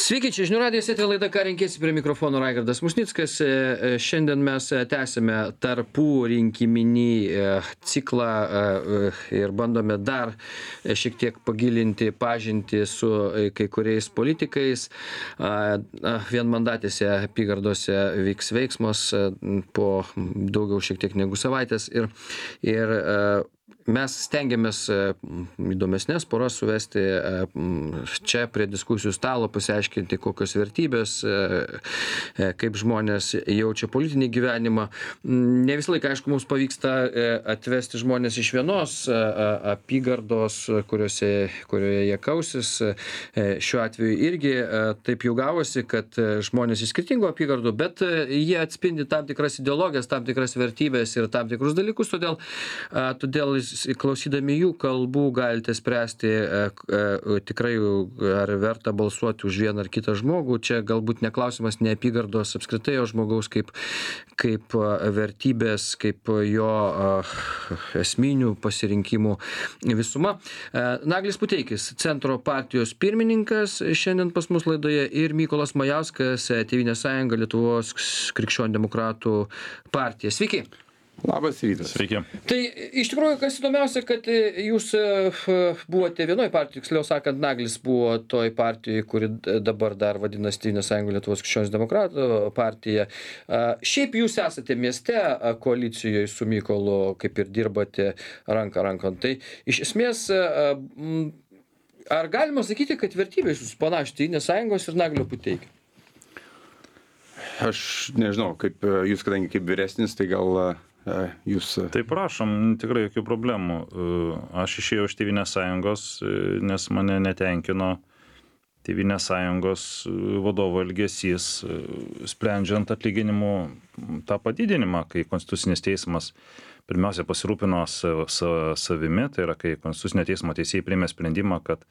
Sveiki, čia žinių radijas, eteryje laida Ką renkiesi, prie mikrofono Raigardas Musnickas. Šiandien mes tęsime tarpų rinkiminį ciklą ir bandome dar šiek tiek pagilinti pažintį su kai kuriais politikais. Vienmandatėse apygardose vyks veiksmas po daugiau šiek tiek negu savaitės ir mes stengiamės įdomesnės poras suvesti čia prie diskusijų stalo, pasiaiškinti, kokios vertybės, kaip žmonės jaučia politinį gyvenimą. Ne visą laiką, aišku, mums pavyksta atvesti žmonės iš vienos apygardos, kurioje jie kausis. Šiuo atveju irgi taip jau gavosi, kad žmonės iš skirtingų apygardų, bet jie atspindi tam tikras ideologijas, tam tikras vertybės ir tam tikrus dalykus, todėl klausydami jų kalbų galite spręsti tikrai, ar verta balsuoti už vieną ar kitą žmogų. Čia galbūt neklausimas ne apygardos apskritai, o žmogaus kaip vertybės, kaip jo esminių pasirinkimų visuma. Naglis Puteikis, Centro partijos pirmininkas, šiandien pas mus laidoje, ir Mykolas Majauskas, Tėvynės sąjunga, Lietuvos krikščionių demokratų partija. Sveiki. Labas rytas. Sveiki. Tai iš tikrųjų, kas įdomiausia, kad jūs buvote vienoj partijoj, tiksliau sakant, Naglis buvo toj partijoj, kuri dabar dar vadinasi Tėvynės sąjunga, Lietuvos krikščionių demokratų partija. Šiaip jūs esate mieste koalicijoje su Mykolu, kaip ir dirbate ranką rankon. Tai iš esmės, ar galima sakyti, kad vertybės jūs panašios Tėvynės sąjungos ir Naglio Puteikio? Aš nežinau, kaip jūs, kadangi kaip vyresnis, tai gal jūs... Tai prašom, tikrai jokių problemų. Aš išėjau iš Tėvynės sąjungos, nes mane netenkino Tėvynės sąjungos vadovo elgesys, sprendžiant atlyginimų tą padidinimą, kai Konstitucinis teismas pirmiausia pasirūpino savimi, tai yra, kai Konstitucinio teismo teisėjai priėmė sprendimą, kad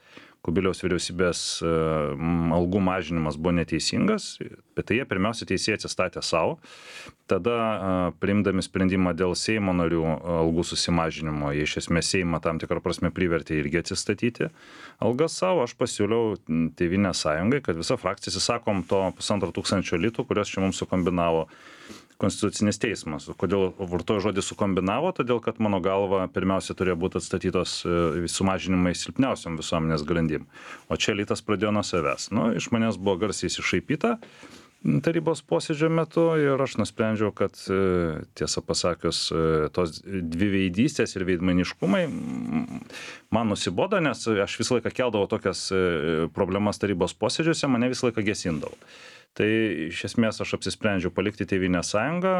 Kubiliaus vyriausybės algų mažinimas buvo neteisingas, bet tai jie pirmiausia teisėjai atsistatė savo. Tada priimdami sprendimą dėl Seimo narių algų susimažinimo, jie iš esmės Seimą tam tikrą prasme privertė irgi atsistatyti algas savo. Aš pasiūliau Tėvynės sąjungai, kad visa frakcija atsisakom to 1500 litų, kurios čia mums sukombinavo Konstitucinis teismas. Kodėl vartoju žodį sukombinavo? Todėl, kad mano galva pirmiausia turėjo būti atstatytos sumažinimai silpniausiam visuomenės grandim. O čia elitas pradėjo nuo savęs. Iš manęs buvo garsiai iššaipyta tarybos posėdžio metu ir aš nusprendžiau, kad tiesą pasakius, tos dviveidystės ir veidmainiškumai man nusibodo, nes aš visą laiką keldavau tokias problemas tarybos posėdžiuose, mane visą laiką gesindavo. Tai iš esmės aš apsisprendžiau palikti Tėvynės sąjungą.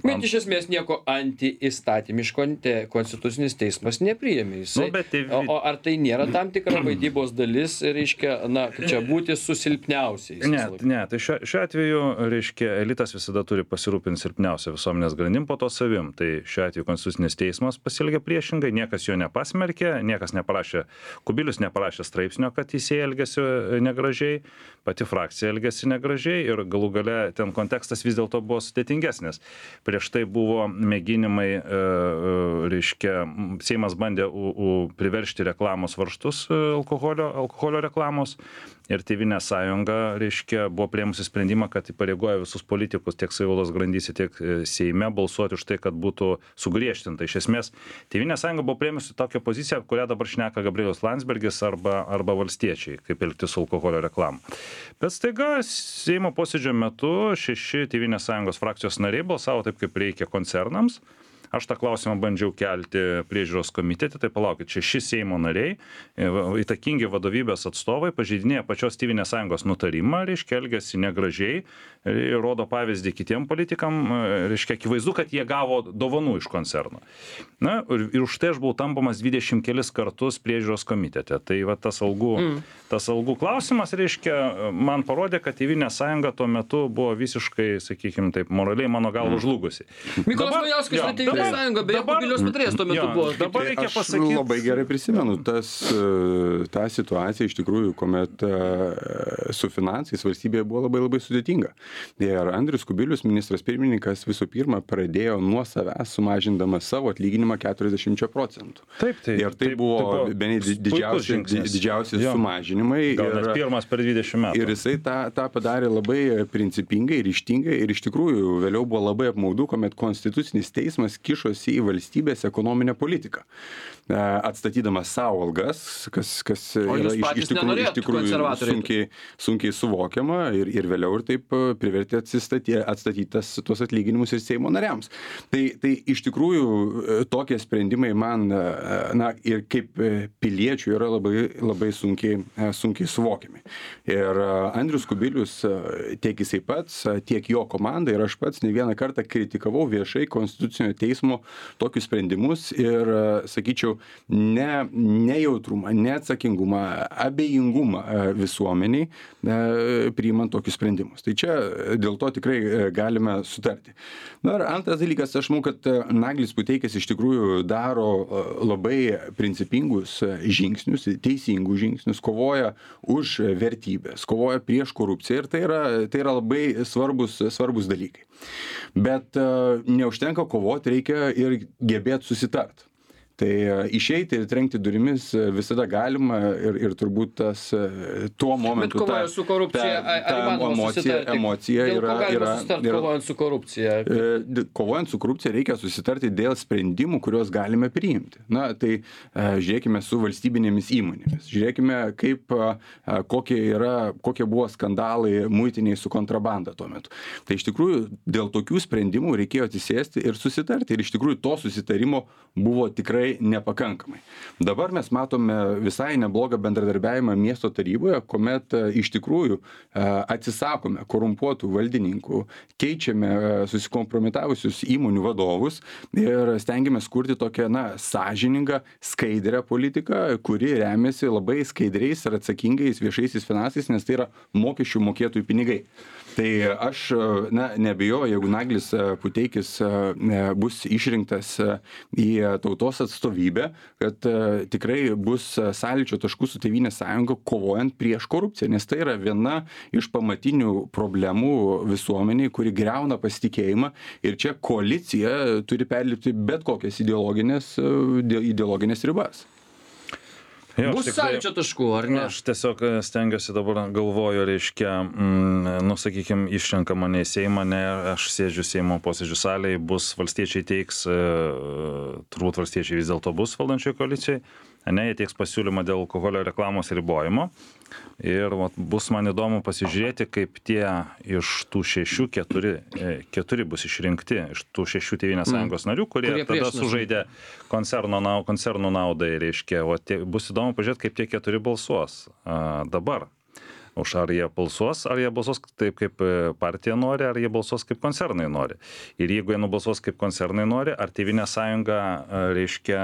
Bet iš esmės nieko antiįstatymiško Konstitucinis teismas nepriėmė. O ar tai nėra tam tikra vaidybos dalis, reiškia, čia būti su silpniausiais? Ne, tai šiuo atveju, reiškia, elitas visada turi pasirūpinti silpniausią visuomenės grandim, po to savim. Tai šiuo atveju Konstitucinis teismas pasielgė priešingai, niekas jo nepasmerkė, niekas neparašė, Kubilius neparašė straipsnio, kad teisėjai elgėsi negražiai, pati frakcija elgėsi negražiai ir galų gale ten kontekstas vis dėlto buvo sudėtingesnis. Prieš tai buvo mėginimai, reiškia, Seimas bandė priveržti reklamos varžtus alkoholio reklamos ir Tėvynės sąjunga, reiškia, buvo priėmusi sprendimą, kad įpareigoja visus politikus tiek savivaldos grandyse, tiek Seime balsuoti už tai, kad būtų sugriežtinta. Iš esmės, Tėvynės sąjunga buvo priėmusi tokią poziciją, kurią dabar šneka Gabrielius Landsbergis arba valstiečiai, kaip elgtis su alkoholio reklama. Bet staiga Seimo posėdžio metu 6 Tėvynės sąjungos frakcijos nariai balsavo taip, kaip reikia koncernams. Aš tą klausimą bandžiau kelti priežiūros komitete, tai palaukit, 6 Seimo nariai, įtakingi vadovybės atstovai, pažeidinėja pačios Tėvynės sąjungos nutarimą, reiškia, elgiasi negražiai, rodo pavyzdį kitiem politikam, reiškia, akivaizdu, kad jie gavo dovanų iš koncerno. Ir už tai aš buvau tampomas 20 kelis kartus priežiūros komitete. Tai va tas algų klausimas, reiškia, man parodė, kad Tėvynės sąjunga tuo metu buvo visiškai, sakykime taip, moraliai mano galva žlugusi. Mykolas Majauskas, Tėvynės sąjunga, beje, Kubiliaus patarėjas tuo metu buvo. Dabar reikia Aš pasakyti. labai gerai prisimenu tą situaciją iš tikrųjų, kuomet su finansais valstybėje buvo labai sudėtinga. Ir Andrius Kubilius, ministras pirmininkas, visų pirma pradėjo nuo savęs sumažindamas savo atlyginimą 40%. Taip, Ir tai buvo bene didžiausi sumažinimai. Gal net pirmas per 20 metų. Ir jisai tą padarė labai principingai, ryžtingai ir iš tikrųjų vėliau buvo labai apmaudu, kuomet Konstitucinis teismas kišosi į valstybės ekonominę politiką, atstatydamas savo algas, kas yra iš tikrųjų sunkiai suvokiama ir vėliau ir taip privertė atstatyti tuos atlyginimus ir Seimo nariams. Tai iš tikrųjų tokie sprendimai man ir kaip piliečių yra labai sunkiai suvokiami. Ir Andrius Kubilius, tiek jisai pats, tiek jo komanda ir aš pats ne vieną kartą kritikavau viešai Konstitucinio teismo tokius sprendimus ir, sakyčiau, nejautrumą, neatsakingumą, abejingumą visuomeniai priimant tokius sprendimus. Tai čia dėl to tikrai galime sutarti. Ir antras dalykas, aš manau, kad Naglis Puteikis iš tikrųjų daro labai principingus žingsnius, teisingus žingsnius, kovoja už vertybės, kovoja prieš korupciją ir tai yra labai svarbus dalykai. Bet neužtenka kovoti, reikia ir gebėti susitart. Tai išeiti ir trenkti durimis visada galima ir turbūt tuo momentu bet kovojant su korupcija, emocija yra kovojant su korupcija. Kovojant su korupcija reikia susitarti dėl sprendimų, kuriuos galime priimti. Tai žiūrėkime su valstybinėmis įmonėmis. Žiūrėkime, kokie buvo skandalai muitiniai su kontrabanda tuo metu. Tai iš tikrųjų dėl tokių sprendimų reikėjo atsisėsti ir susitarti. Ir iš tikrųjų to susitarimo buvo tikrai nepakankamai. Dabar mes matome visai neblogą bendradarbiavimą miesto taryboje, kuomet iš tikrųjų atsisakome korumpuotų valdininkų, keičiame susikompromitavusius įmonių vadovus ir stengiamės kurti tokią sąžiningą, skaidrią politiką, kuri remiasi labai skaidriais ir atsakingais viešaisiais finansais, nes tai yra mokesčių mokėtojų pinigai. Tai aš neabejoju, jeigu Naglis Puteikis bus išrinktas į tautos atstovybę, kad tikrai bus sąlyčio taškų su Tėvynės sąjunga kovojant prieš korupciją, nes tai yra viena iš pamatinių problemų visuomeniai, kuri griauna pasitikėjimą ir čia koalicija turi perlipti bet kokias ideologinės ribas. Bus sąlyčio taškų, ar ne? Aš tiesiog stengiuosi dabar galvoju, reiškia, sakykime, išrenka mane į Seimą, aš sėdžiu Seimo posėdžių salėje, valstiečiai teiks, turbūt valstiečiai vis dėlto bus valdančioje koalicijoje, jie teiks pasiūlymą dėl alkoholio reklamos ribojimo. Ir bus man įdomu pasižiūrėti, kaip tie iš tų 6, 4 bus išrinkti, iš tų 6 Tėvynės sąjungos narių, kurie tada sužaidė koncernų naudai, reiškia. Bus įdomu pažiūrėti, kaip tie 4 balsuos dabar. Ar jie balsuos taip, kaip partija nori, ar jie balsuos kaip koncernai nori. Ir jeigu jie nubalsuos kaip koncernai nori, ar Tėvynės sąjunga, reiškia,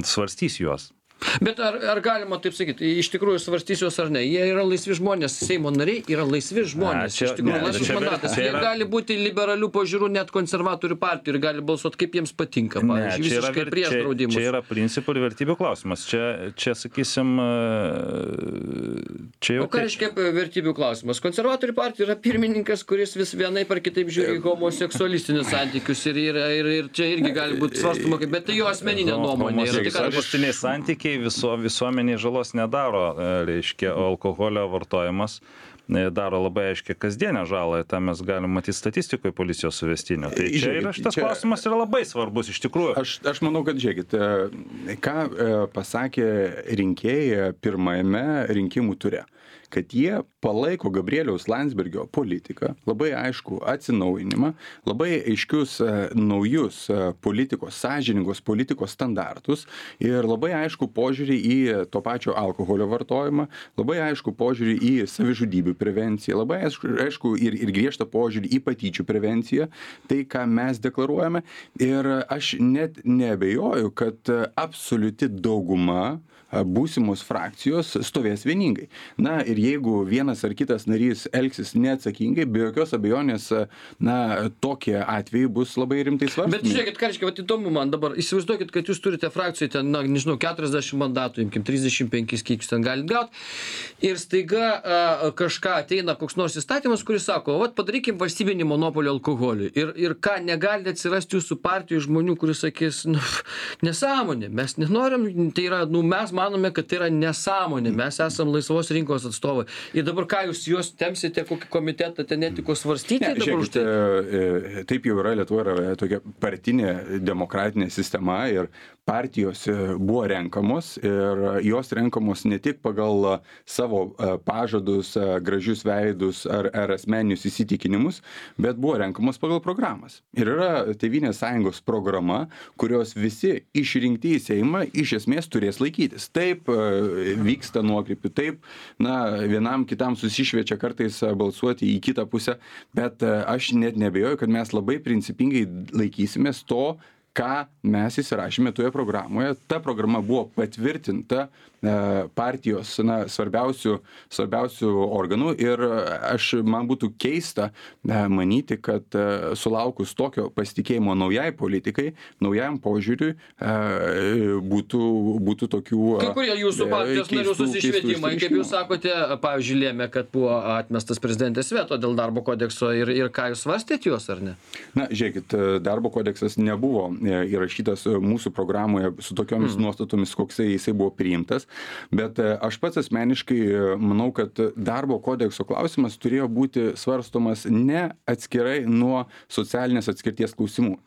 svarstys juos. Bet ar galima taip sakyti, iš tikrųjų svarstys juos ar ne? Jie yra laisvi žmonės, Seimo nariai yra laisvi žmonės. Iš tikrųjų, laisvas mandatas. Jie gali būti liberalių požiūrų net konservatorių partijų ir gali balsuoti kaip jiems patinka. Pavyzdžiui, visiškai prieš draudimus. Čia yra principų ir vertybių klausimas. Čia sakysim, čia jau... O ką reiškia vertybių klausimas? Konservatorių partija yra pirmininkas, kuris vis vienaip ar kitaip žiūri homoseksualistinius santykius ir čia irgi gali būti svarstoma, bet tai jo asmeninė nuomonė. Homoseksualistiniai santykiai visuomeniai žalos nedaro, reiškia, alkoholio vartojimas daro labai aiškiai kasdienę žalą, tą mes galim matyti statistikoje policijos suvestinio. Tai čia yra šitas klausimas yra labai svarbus iš tikrųjų. Aš manau, kad žiūrėkit, ką pasakė rinkėjai pirmajame rinkimų ture, kad jie palaiko Gabrieliaus Landsbergio politiką, labai aišku atsinaujinimą, labai aiškius naujus politikos, sąžiningos politikos standartus ir labai aišku požiūrį į to pačio alkoholio vartojimą, labai aišku požiūrį į savižudybių prevenciją, labai aišku ir griežtą požiūrį į patyčių prevenciją, tai ką mes deklaruojame. Ir aš net neabejoju, kad absoliuti dauguma būsimos frakcijos stovės vieningai. Na ir jeigu vienas ar kitas narys elgsis neatsakingai, be jokios abejonės, na, tokie atvejai bus labai rimtai svarstomi. Bet žiūrėkit, Kariškai, vat įdomu man dabar, įsivaizduokit, kad jūs turite frakcijoje ten, na, nežinau, 40 mandatų, imkim 35, kiek jūs ten galite gauti, ir staiga kažką ateina koks nors įstatymas, kuris sako, vat padarykim valstybinį monopolį alkoholiui. Ir ką, negali atsirasti jūsų partijų žmonių, kuris sakys, nu, nesąmonė, mes nenorim, tai yra, nu, mes manome, kad tai yra nesąmonė, mes esam laisvos rinkos atstovai. Ir dabar ką, jūs juos temsite kokį komitetą ten etikos svarstyti? Ne, žiūrėkit, taip jau yra, Lietuva yra tokia partinė demokratinė sistema ir partijos buvo renkamos ir jos renkamos ne tik pagal savo pažadus, gražius veidus ar asmeninius įsitikinimus, bet buvo renkamos pagal programas. Ir yra Tėvynės sąjungos programa, kurios visi išrinkti į Seimą iš esmės turės laikytis. Taip vyksta nuokrypių, taip, na, vienam kitam susišviečia kartais balsuoti į kitą pusę, bet aš net neabejoju, kad mes labai principingai laikysimės to, ką mes įsirašėme toje programoje. Ta programa buvo patvirtinta partijos, na, svarbiausių organų ir man būtų keista manyti, kad sulaukus tokio pasitikėjimo naujai politikai, naujam požiūriui būtų tokių kai kurie jūsų partijos narių susišvietimai, kaip jūs sakote, pavyzdžiui, lėmė, kad buvo atmestas prezidentės veto dėl darbo kodekso ir ką jūs svarstėt juos, ar ne? Na, žiūrėkit, darbo kodeksas nebuvo įrašytas mūsų programoje su tokiomis nuostatomis, koksai jisai buvo priimtas, bet aš pats asmeniškai manau, kad darbo kodekso klausimas turėjo būti svarstomas ne atskirai nuo socialinės atskirties klausimų.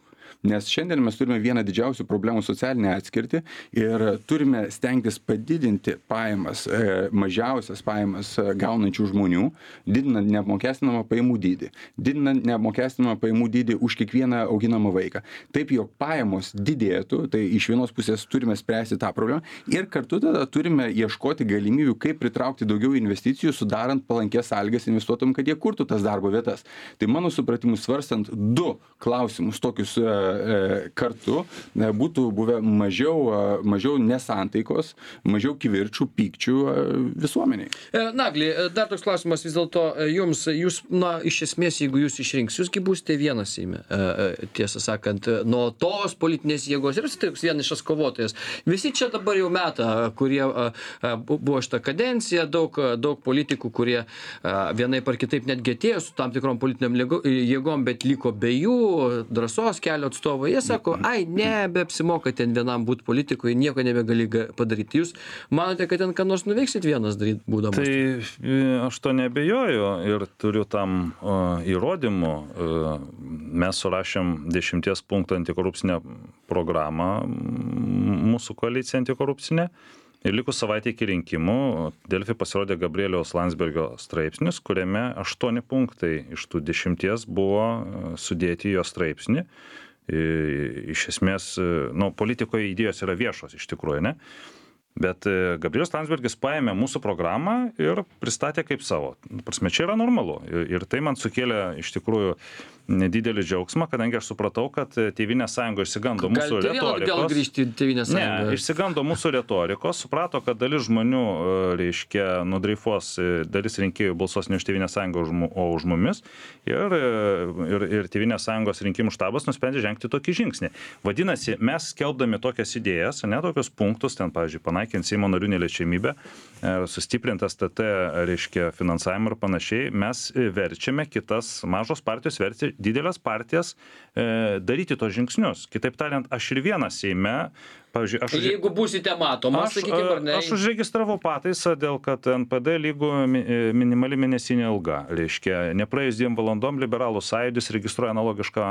Nes šiandien mes turime vieną didžiausių problemų socialinę atskirtį ir turime stengtis padidinti pajamas, mažiausias pajamas gaunančių žmonių, didinant neapmokestinamą pajamų dydį, didinant neapmokestinamą pajamų dydį už kiekvieną auginamą vaiką. Taip, jog pajamos didėtų, tai iš vienos pusės turime spręsti tą problemą ir kartu tada turime ieškoti galimybių, kaip pritraukti daugiau investicijų, sudarant palankės sąlygas investuotojams, kad jie kurtų tas darbo vietas. Tai mano supratimu, svarstant du klausimus tokius kartu, būtų buvę mažiau nesantaikos, mažiau kivirčių, pykčių visuomeniai. Nagli, dar toks klausimas vis dėlto jums, jūs, na, iš esmės, jeigu jūs išrinks, jūsgi būsite vienas Seime, tiesą sakant, nuo tos politinės jėgos ir toks vienišas kovotojas. Visi čia dabar jau metą, kurie buvo šitą kadenciją, daug politikų, kurie vienaip ar kitaip netgi atėjo su tam tikrom politiniam jėgom, bet liko be jų, drąsos kelio atstovai, jie sako, nebeapsimoka ten vienam būti politikui, nieko nebegali padaryti. Jūs manote, kad ten ką nors nuveiksit vienas daryti būdamas? Tai aš to nebejoju ir turiu tam įrodymų. Mes surašėm 10 punktų antikorupcinę programą, mūsų koalicija antikorupcinė. Ir likus savaitė iki rinkimų, Delfi pasirodė Gabrieliaus Landsbergio straipsnis, kuriame 8 punktai iš tų 10 buvo sudėti jo straipsnį. Iš esmės, nu, politikoje idėjos yra viešos iš tikrųjų, ne? Bet Gabrielius Landsbergis paėmė mūsų programą ir pristatė kaip savo. Prasme, čia yra normalu. Ir tai man sukėlė iš tikrųjų didelį džiaugsmą, kadangi aš supratau, kad Tėvynės sąjunga išsigando mūsų retorikos. Gal grįžti į Tėvynės sąjungą? Ne, išsigando mūsų retorikos, suprato, kad dalis žmonių, reiškia, nudreifuos, dalis rinkėjų balsuos ne už Tėvynės sąjungą, o už mumis. Ir Tėvynės sąjungos rinkimų štabas nusprendė žengti tokį žingsnį. Vadinasi, mes skelbdami tokias idėjas, ne tokius punktus, ten, pavyzdžiui, panaikinti Seimo narių neliečiamybę, sustiprintas TT, reiškia, finansavimą ir panašiai, mes verčiame kitas mažos partijos verti didelės partijas daryti tos žingsnius. Kitaip tariant, aš ir vienas Seime, pavyzdžiui, jeigu būsite matomas, sakykime, ar ne? Aš užregistravau pataisą dėl, kad NPD lygų minimali mėnesinė alga. Reiškia, nepraėjus 2 valandom liberalų sąjūdis registruoja analogišką,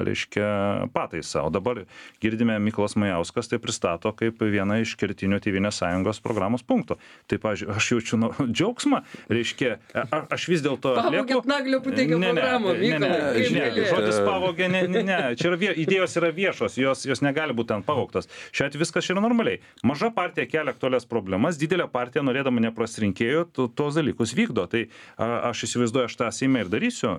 reiškia, pataisą. O dabar girdime, Mykolas Majauskas tai pristato kaip vieną iš kertinių Tėvynės sąjungos programos punktų. Tai, pavyzdžiui, aš jaučiu džiaugsmą, reiškia, aš vis dėlto Pavokit Naglio pateikė programą, Mykolai. žodis pavogė, ne, čia yra idėjos yra viešos, jos negali būti ten pavogtos. Šiuo atveju viskas yra normaliai. Maža partija kelia aktualias problemas, didelė partija, norėdama neprasti rinkėjų, tos dalykus vykdo. Tai aš įsivaizduoju, aš tą Seime ir darysiu,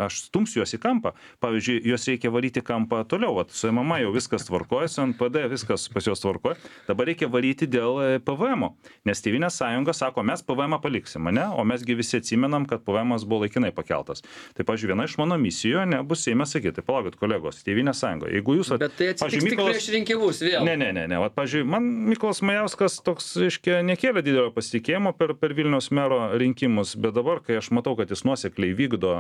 aš stumsiu juos į kampą. Pavyzdžiui, juos reikia varyti kampą toliau. Vat, su MMA jau viskas tvarkoja, su NPD viskas pas juos tvarkoja. Dabar reikia varyti dėl PVM. Nes Tėvynės sąjunga sako, mes PVM paliksim, ne? O mesgi visi atsimenam, kad PVM buvo laikinai pakeltas. Tai, pavyzdžiui, viena iš mano misijų nebus Seime sakyti, tai palaukit, kolegos, Tėvynės sąjunga. Jeigu jūs... Bet tai atsitiks tik prieš rinkimus vėl. Ne. Vat, pavyzdžiui, man Mykolas Majauskas toks, reiškia, nekėlė didelio pasitikėjimo per Vilniaus mero rinkimus, bet dabar, kai aš matau, kad jis nuosekliai vykdo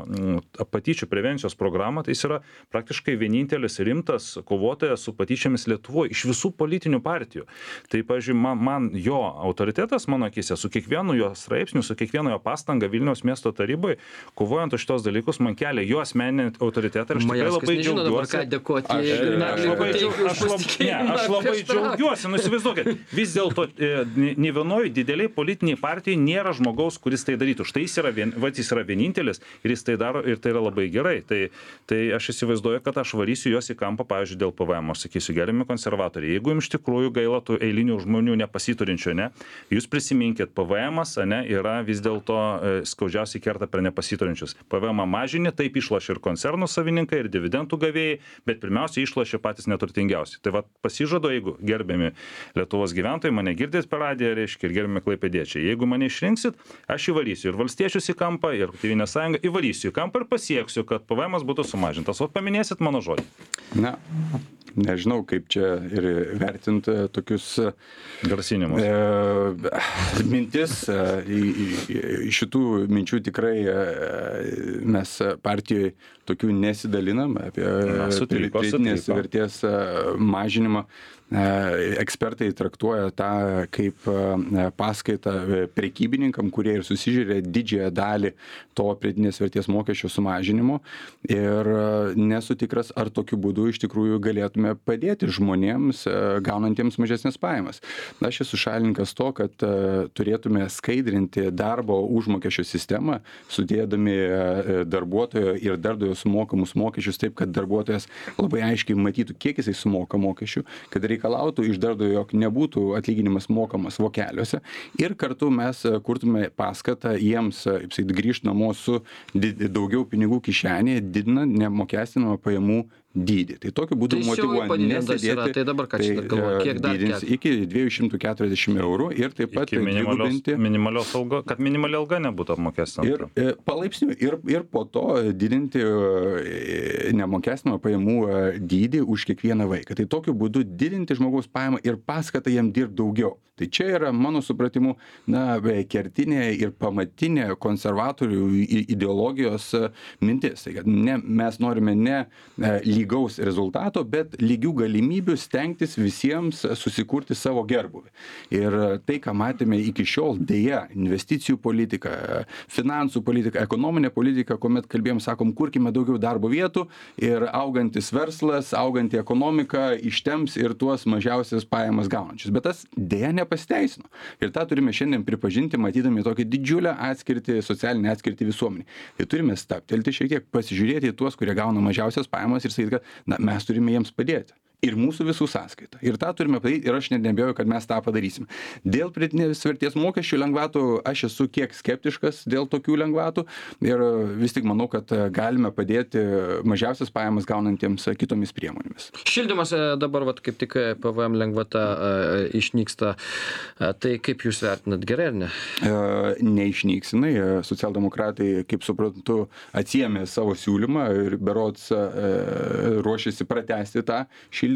patyčių prevencijos programą, tai jis yra praktiškai vienintelis rimtas kovotojas su patyčiamis Lietuvoje iš visų politinių partijų. Tai, pavyzdžiui, man jo autoritetas, mano akise, su kiekvienu jo straipsniu, su kiekvienu jo pastanga Vilniaus miesto tarybai, kovojant už šitos dalykus, man kelia jo asmeninį autoritetą ir aš tikrai labai džiaugiuosi. Aš labai džiaugiuosi, įsivaizduokit, vis dėlto ne vienoje dideliai politiniai partijai nėra žmogaus, kuris tai darytų. Štai jis yra vienintelis ir jis tai daro ir tai yra labai gerai. Tai aš įsivaizduoju, kad aš varysiu juos į kampą, pavyzdžiui, dėl PVM. Aš sakysiu, gerbiami konservatoriai, jeigu jums iš tikrųjų gaila tų eilinių žmonių nepasiturinčių, ne, jūs prisiminkit, PVM-as, ne, yra vis dėlto skaudžiausiai kerta per nepasiturinčius. PVM mažinį, taip išlošia ir koncernų savininkai, ir dividendų gavėjai, bet pirmiausia išlošia patys neturtingiausi. Tai va pasižadu, jeigu gerbiami Lietuvos gyventojai mane girdės per radiją, reiškia, ir gerbiami klaipėdiečiai, jeigu mane išrinksit, aš įvarysiu ir valstiečius į kampą, ir Tėvynės sąjungą įvarysiu į kampą ir pasieksiu, kad PVM-as būtų sumažintas. O paminėsit mano žodį. Na, nežinau, kaip čia ir vertinti tokius grasinimus. Mintis. Šitų minčių tikrai mes partijoje tokių nesidalinam apie pridėtinės vertės mažinimą. Ekspertai traktuoja tą kaip paskaitą prekybininkam, kurie ir susižiūrė didžiąją dalį to pridėtinės vertės mokesčio sumažinimo ir nesu tikras, ar tokiu būdu iš tikrųjų galėtume padėti žmonėms gaunantiems mažesnės pajamas. Aš esu šalininkas to, kad turėtume skaidrinti darbo užmokesčio sistemą, sudėdami darbuotojo ir darbdavio sumokamus mokesčius taip, kad darbuotojas labai aiškiai matytų, kiek jisai sumoka mokesčių, kad reikalautų iš darbdavio, jog nebūtų atlyginimas mokamas vokeliuose ir kartu mes kurtume paskatą jiems grįžti namo su daugiau pinigų kišenėje, didinant neapmokestinamą pajamų dydį. Tai tokiu būdu motyvuojant nesėdėti, tai dabar ką čia galvoja, kiek dar didins iki 240 eurų ir taip pat minimalios alga, kad minimali alga nebūtų apmokestinama. Ir palaipsniui ir po to didinti neapmokestinamą pajamų dydį už kiekvieną vaiką. Tai tokiu būdu didinti žmogaus pajamą ir paskatą jam dirbti daugiau. Tai čia yra, mano supratimu, kertinė ir pamatinė konservatorių ideologijos mintis. Tai, kad mes norime ne lygaus rezultato, bet lygių galimybių stengtis visiems susikurti savo gerbuvį. Ir tai, ką matėme iki šiol, dėja, investicijų politika, finansų politika, ekonominė politika, kuomet kalbėjom, sakom, kurkime daugiau darbo vietų ir augantis verslas, auganti ekonomika ištemps ir tuos mažiausias pajamas gaunančius. Bet tas dėja nepasiteisino. Ir tą turime šiandien pripažinti, matydami tokią didžiulę atskirtį, socialinę atskirtį visuomenį. Tai turime stabtelti šiek tiek, pasižiūrėti į tuos, kurie gauna mažiausias pajamas ir sakyti, kad mes turime jiems padėti. Ir mūsų visų sąskaita. Ir tą turime padaryti ir aš net neabejoju, kad mes tą padarysim. Dėl pridėtinės vertės mokesčių lengvatų aš esu kiek skeptiškas dėl tokių lengvatų ir vis tik manau, kad galime padėti mažiausias pajamas gaunantiems kitomis priemonėmis. Šildymas dabar kaip tik PVM lengvata išnyksta. Tai kaip jūs vertinat, gerai ar ne? Neišnyksinai. Socialdemokratai, kaip suprantu, atsiėmė savo siūlymą ir berods ruošiasi pratęsti tą šildymą,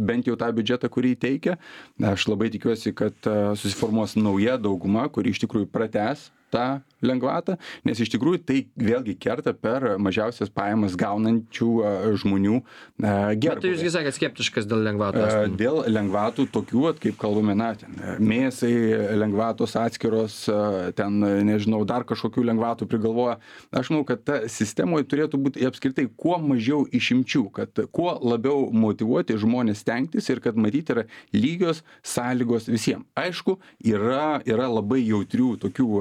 bent jau tą biudžetą, kurį teikia. Aš labai tikiuosi, kad susiformuos nauja dauguma, kuri iš tikrųjų pratęs tą lengvatą, nes iš tikrųjų tai vėlgi kerta per mažiausias pajamas gaunančių žmonių gerbūvį. Bet tai jūsgi sakėt skeptiškas dėl lengvatų? Dėl lengvatų tokių, kaip kalbame, mėsai lengvatos atskiros, ten, nežinau, dar kažkokių lengvatų prigalvoja. Aš manau, kad ta sistemoje turėtų būti apskritai kuo mažiau išimčių, kad kuo labiau motyvuoti žmonės stengtis ir kad matyti yra lygios sąlygos visiems. Aišku, yra labai jautrių tokių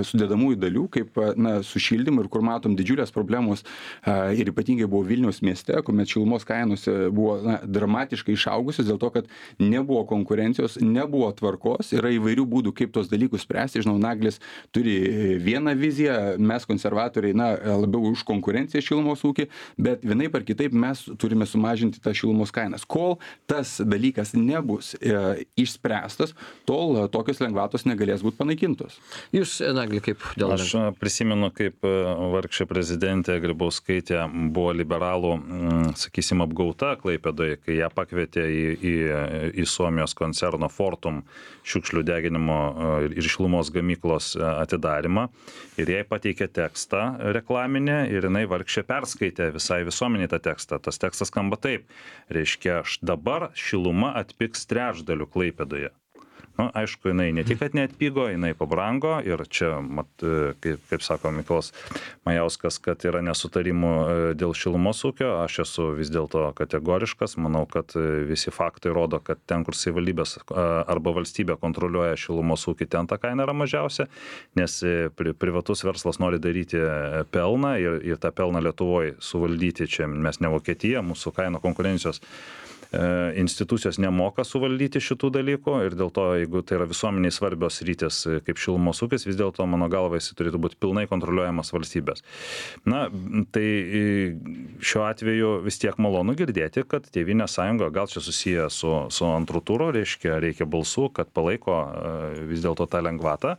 sudedamųjų dalių, kaip su šildymu ir kur matom didžiulės problemos ir ypatingai buvo Vilniaus mieste, kuomet šilumos kainos buvo dramatiškai išaugusios dėl to, kad nebuvo konkurencijos, nebuvo tvarkos, yra įvairių būdų, kaip tos dalykus spręsti. Žinau, Naglis turi vieną viziją, mes konservatoriai labiau už konkurenciją šilumos ūkį, bet vienaip ar kitaip mes turime sumažinti tą šilumos kainas. Kol tas dalykas nebus išspręstas, tol tokios lengvatos negalės būti panaikintos. Jūs, Nagli, kaip dėl... Aš prisimenu, kaip vargšė prezidentė Grybauskaitė buvo liberalų, sakysim, apgauta Klaipėdoje, kai ją pakvietė į Suomijos koncerno Fortum šiukšlių deginimo ir šilumos gamyklos atidarimą ir jai pateikė tekstą reklaminę ir jinai vargšė perskaitė visai visuomeniai tą tekstą. Tas tekstas skamba taip, reiškia, dabar šiluma atpigs trečdaliu Klaipėdoje. Aišku, jinai ne tik, kad neatpigo, jinai pabrango ir čia, kaip sako Mykolas Majauskas, kad yra nesutarimų dėl šilumos ūkio, aš esu vis dėlto kategoriškas, manau, kad visi faktai rodo, kad ten, kur savivaldybės arba valstybė kontroliuoja šilumos ūkį, ten ta kaina yra mažiausia, nes privatus verslas nori daryti pelną ir tą pelną Lietuvoje suvaldyti, čia mes ne Vokietija, mūsų kainų konkurencijos institucijos nemoka suvaldyti šitų dalykų ir dėl to, jeigu tai yra visuomeniai svarbios rytis kaip šilumos ūkis, vis dėlto mano galva jis turėtų būti pilnai kontroliuojamas valstybės. Tai šiuo atveju vis tiek malonu girdėti, kad Tėvynės sąjunga gal čia susiję su antru turu, reikia balsų, kad palaiko vis dėlto tą lengvatą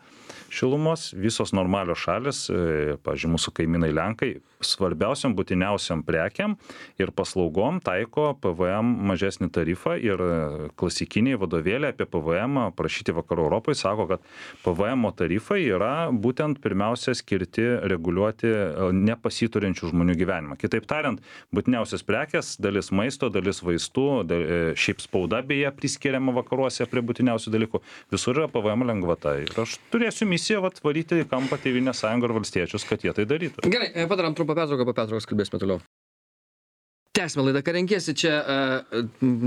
šilumos. Visos normalios šalis, pavyzdžiui, mūsų kaimynai Lenkai, svarbiausiam būtiniausiam prekiam ir paslaugom taiko PVM mažesnį tarifą ir klasikiniai vadovėliai apie PVM prašyti Vakarų Europoje sako, kad PVM tarifai yra būtent pirmiausia skirti reguliuoti nepasiturinčių žmonių gyvenimą. Kitaip tariant, būtiniausias prekės, dalis maisto, dalis vaistų, šiaip spauda beje priskiriama vakaruose prie būtiniausių dalykų, visur yra PVM lengvata. Ir aš turėsiu misiją varyti į kampą Tėvynės sąjungą ir valstiečius, kad jie tai darytų. Gerai, padarom trumpą pertrauką, po pertraukos kalbėsime toliau. Tęsime laidą, ką renkiesi. Čia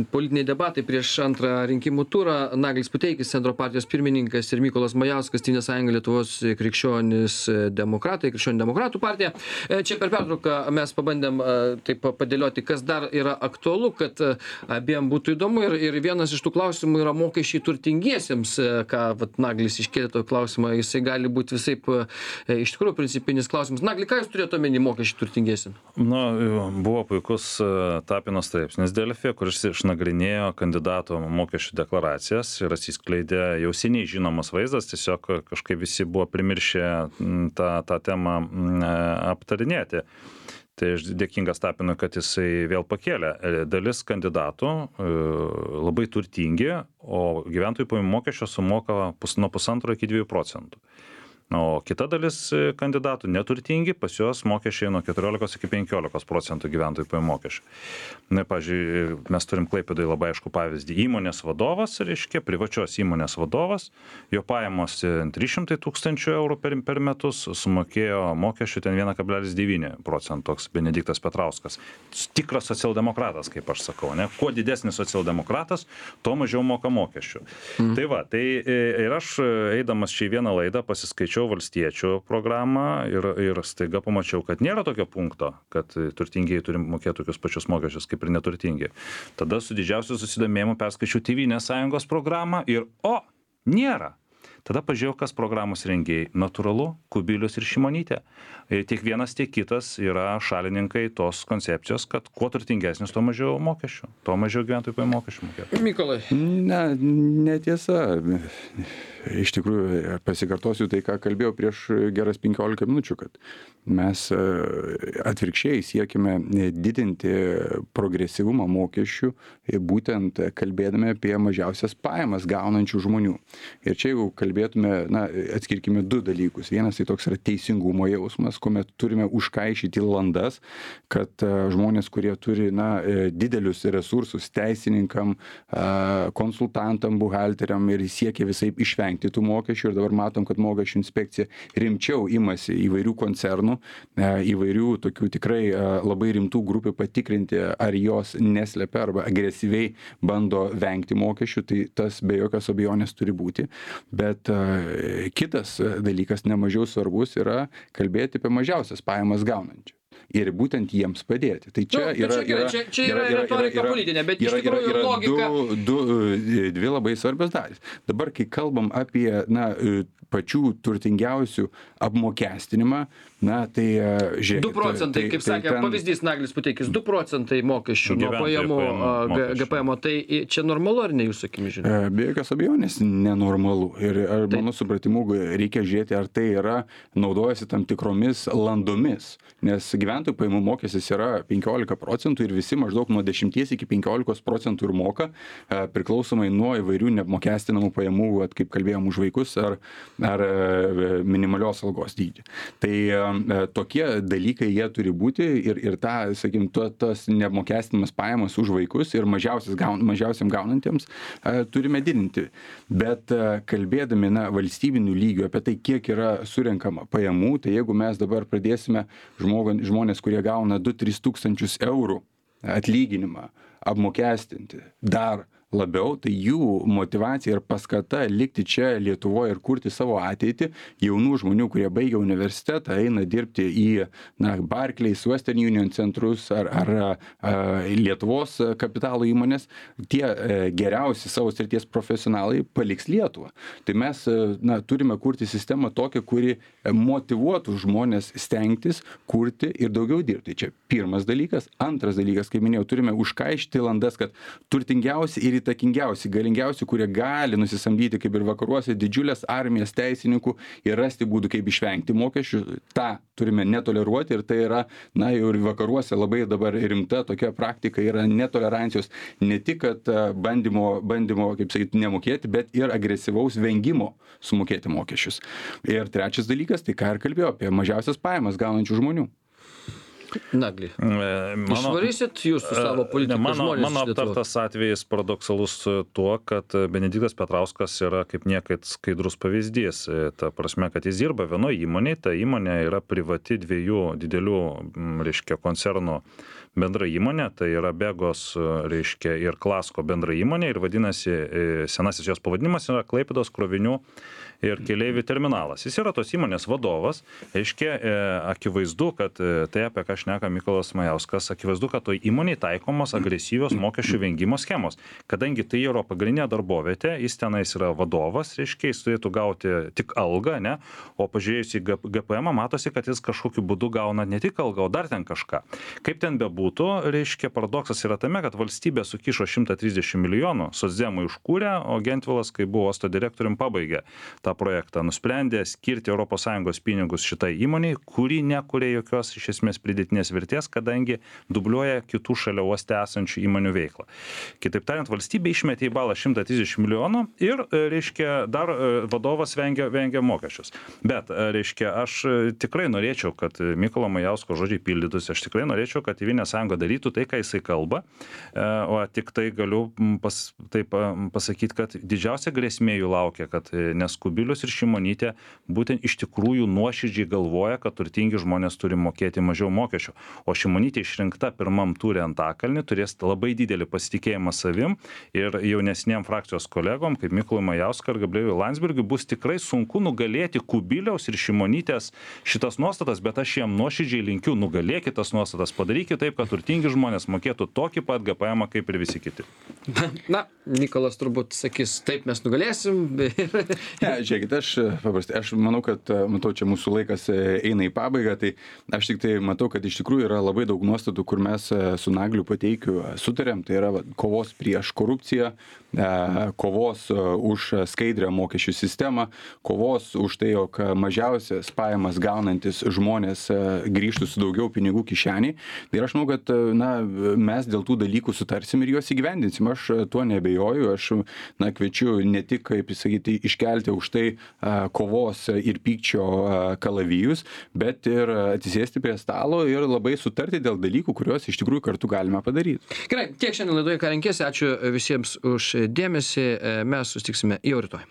politiniai debatai prieš antrą rinkimų turą. Naglis Puteikis, Centro partijos pirmininkas ir Mykolas Majauskas, Tėvynės sąjunga Lietuvos krikščionys demokratai, krikščionių demokratų partija. Čia per pertrauką mes pabandėm taip padėlioti, kas dar yra aktualu, kad abiem būtų įdomu. Ir vienas iš tų klausimų yra mokesčiai turtingiesiems, ką Naglis iškėlė to klausimą. Jisai gali būti visaip iš tikrųjų principinis klausimas. Nagli, ką jūs turėjote omeny mokesčiai turtingiesiems? Buvo puikus Tapino straipsnis Delfi, kuris išnagrinėjo kandidatų mokesčių deklaracijas ir atsiskleidė jau seniai žinomas vaizdas, tiesiog kažkaip visi buvo primiršę tą temą aptarinėti. Tai aš dėkingas Tapinui, kad jisai vėl pakėlė. Dalis kandidatų labai turtingi, o gyventojų pajamų mokesčio sumoka nuo 1,5 iki 2%. O kita dalis kandidatų neturtingi, pas juos mokesčiai nuo 14 iki 15% gyventojų pajamų mokesčių. Pavyzdžiui, mes turim Klaipėdoje labai aišku pavyzdį. Įmonės vadovas, reiškia, privačios įmonės vadovas, jo pajamos 300 000 eurų per metus, sumokėjo mokesčių ten 1,9%, toks Benediktas Petrauskas. Tikras socialdemokratas, kaip aš sakau, ne? Kuo didesnis socialdemokratas, tuo mažiau moka mokesčių. Tai va, ir aš eidamas čia į vieną laidą pasiskaičiau valstiečių programą ir staiga pamačiau, kad nėra tokio punkto, kad turtingieji turi mokėti tokius pačius mokesčius kaip ir neturtingi. Tada su didžiausiu susidomėjimu perskaičiau Tėvynės sąjungos programą ir nėra. Tada pažiūrėjau, kas programos rengėjai. Natūralu, Kubilius ir Šimonytė. Tiek vienas, tiek kitas yra šalininkai tos koncepcijos, kad kuo turtingesnis, tuo mažiau mokesčių, tuo mažiau gyventojų pajamų mokesčių mokėtų. Mykolai. Netiesa. Iš tikrųjų, pasikartosiu tai, ką kalbėjau prieš geras 15 minučių, kad mes atvirkščiai siekime didinti progresyvumą mokesčių, būtent kalbėdami apie mažiausias pajamas gaunančių žmonių. Ir čia jau kalbėtume, atskirkime du dalykus. Vienas tai toks yra teisingumo jausmas, kuomet turime užkaišyti landas, kad žmonės, kurie turi didelius resursus teisininkam, konsultantam, buhalteriam ir siekia visaip išvengti tų mokesčių, ir dabar matom, kad mokesčių inspekcija rimčiau imasi įvairių koncernų, įvairių tokių tikrai labai rimtų grupių patikrinti, ar jos neslepia arba agresyviai bando vengti mokesčių, tai tas be jokios abejonės turi būti. Bet Bet kitas dalykas, nemažiau svarbus, yra kalbėti apie mažiausias pajamas gaunančių. Ir būtent jiems padėti. Tai čia yra retorika politinė, bet iš tikrųjų logika. Dvi labai svarbios dalys. Dabar, kai kalbam apie pačių turtingiausių apmokestinimą, tai žiūrėkit. 2 procentai, kaip sakė, pavyzdys Naglis Puteikis, 2 procentai mokesčių nuo pajamų GPM, tai čia normalu ar ne jūsų akimis žiūrėt? Be jokios abejonės nenormalu. Ir mano supratimu reikia žiūrėti, ar tai yra naudojasi tam tikromis landomis, nes gyventojų pajamų mokestis yra 15 procentų ir visi maždaug nuo 10 iki 15 procentų ir moka, priklausomai nuo įvairių neapmokestinamų pajamų, kaip kalbėjom, už vaikus ar minimalios algos dydį. Tai tokie dalykai jie turi būti ir tas neapmokestinamas pajamas už vaikus ir mažiausiam gaunantiems turime didinti. Bet kalbėdami valstybinių lygių apie tai, kiek yra surenkama pajamų, tai jeigu mes dabar pradėsime žmonės, kurie gauna 2-3 tūkstančius eurų atlyginimą apmokestinti dar labiau, tai jų motyvacija ir paskata likti čia Lietuvoje ir kurti savo ateitį, jaunų žmonių, kurie baigia universitetą, eina dirbti į Barclays, Western Union centrus ar Lietuvos kapitalo įmonės, tie geriausi savo srities profesionalai paliks Lietuvą. Tai mes turime kurti sistemą tokią, kuri motyvuotų žmonės stengtis, kurti ir daugiau dirbti. Čia pirmas dalykas. Antras dalykas, kaip minėjau, turime užkaišti landas, kad turtingiausi ir įtakingiausi, galingiausi, kurie gali nusisamdyti, kaip ir vakaruose, didžiulės armijas teisininkų ir rasti būdų, kaip išvengti mokesčių. Ta turime netoleruoti ir tai yra, jau ir vakaruose labai dabar rimta tokia praktika yra netolerancijos, ne tik, kad bandymo, kaip sakyti, nemokėti, bet ir agresyvaus vengimo sumokėti mokesčius. Ir trečias dalykas, tai ką ir kalbėjau, apie mažiausias pajamas gaunančių žmonių. Nagli, išvarysit jūs su savo politikos žmonės? Mano aptartas atvejis paradoksalus tuo, kad Benediktas Petrauskas yra kaip niekad skaidrus pavyzdys. Ta prasme, kad jis dirba vienoje įmonėje, ta įmonė yra privati 2 didelių, koncernų bendra įmonė, tai yra Begos, ir Klasko bendra įmonė ir vadinasi, senasis jos pavadinimas yra Klaipėdos krovinių ir keleivių terminalas. Jis yra tos įmonės vadovas, akivaizdu, kad tai, apie ką šneka Mykolas Majauskas, akivaizdu, kad toj įmonėje taikomos agresyvios mokesčių vengimo schemos. Kadangi tai yra pagrindinė darbovietė, jis tenais yra vadovas, jis turėtų gauti tik algą, ne? O pažiūrėjus į GPM matosi, kad jis kažkokiu būdu gauna ne tik algą, o dar ten kažką. Kaip ten bebūtų, paradoksas yra tame, kad valstybė sukišo 130 milijonų, socdemai užkūrė, o Gentvilas, kai buvo uosto direktorium, pabaigė tą projektą, nusprendė skirti ES pinigus šitai įmoniai, kuri nekuria jokios iš esmės pridėtinės vertės, kadangi dubliuoja kitų šalia uoste esančių įmonių veiklą. Kitaip tariant, valstybė išmetė į balą 130 milijonų ir, dar vadovas vengia mokesčius. Bet, aš tikrai norėčiau, kad Mykolo Majausko žodžiai pildytųsi, aš tikrai norėčiau, kad Tėvynės sąjunga darytų tai, ką jisai kalba, o tik tai galiu pasakyti, kad didžiausia grėsmė jų laukia, kad nes Kubilius ir Šimonytė būtent iš tikrųjų nuoširdžiai galvoja, kad turtingi žmonės turi mokėti mažiau mokesčių. O Šimonytė išrinkta pirmam ture Antakalny turės labai didelį pasitikėjimą savim ir jaunesniem frakcijos kolegom, kaip Mykolui Majauskui ir Gabrieliui Landsbergiui, bus tikrai sunku nugalėti Kubiliaus ir Šimonytės šitas nuostatas, bet aš jiem nuoširdžiai linkiu, nugalėkite tas nuostatas, padarykite taip, kad turtingi žmonės mokėtų tokį pat GPM kaip ir visi kiti. Mykolas turbūt sakys, taip mes nugalėsim. Žiūrėkit, aš manau, kad čia mūsų laikas eina į pabaigą, tai aš tik tai matau, kad iš tikrųjų yra labai daug nuostatų, kur mes su Nagliu Puteikiu sutarėm, tai yra kovos prieš korupciją, kovos už skaidrią mokesčių sistemą, kovos už tai, jog mažiausias pajamas gaunantis žmonės grįžtų su daugiau pinigų kišeniai. Ir aš manau, kad mes dėl tų dalykų sutarsim ir juos įgyvendinsim. Aš tuo nebejoju, aš kviečiu ne tik, kaip sakyti, iškelti už tai kovos ir pykčio kalavijus, bet ir atsisėsti prie stalo ir labai sutarti dėl dalykų, kuriuos iš tikrųjų kartu galime padaryti. Gerai, tiek šiandien laidoje, ką renkėsi. Ačiū visiems už dėmesį. Mes susitiksime jau rytoj.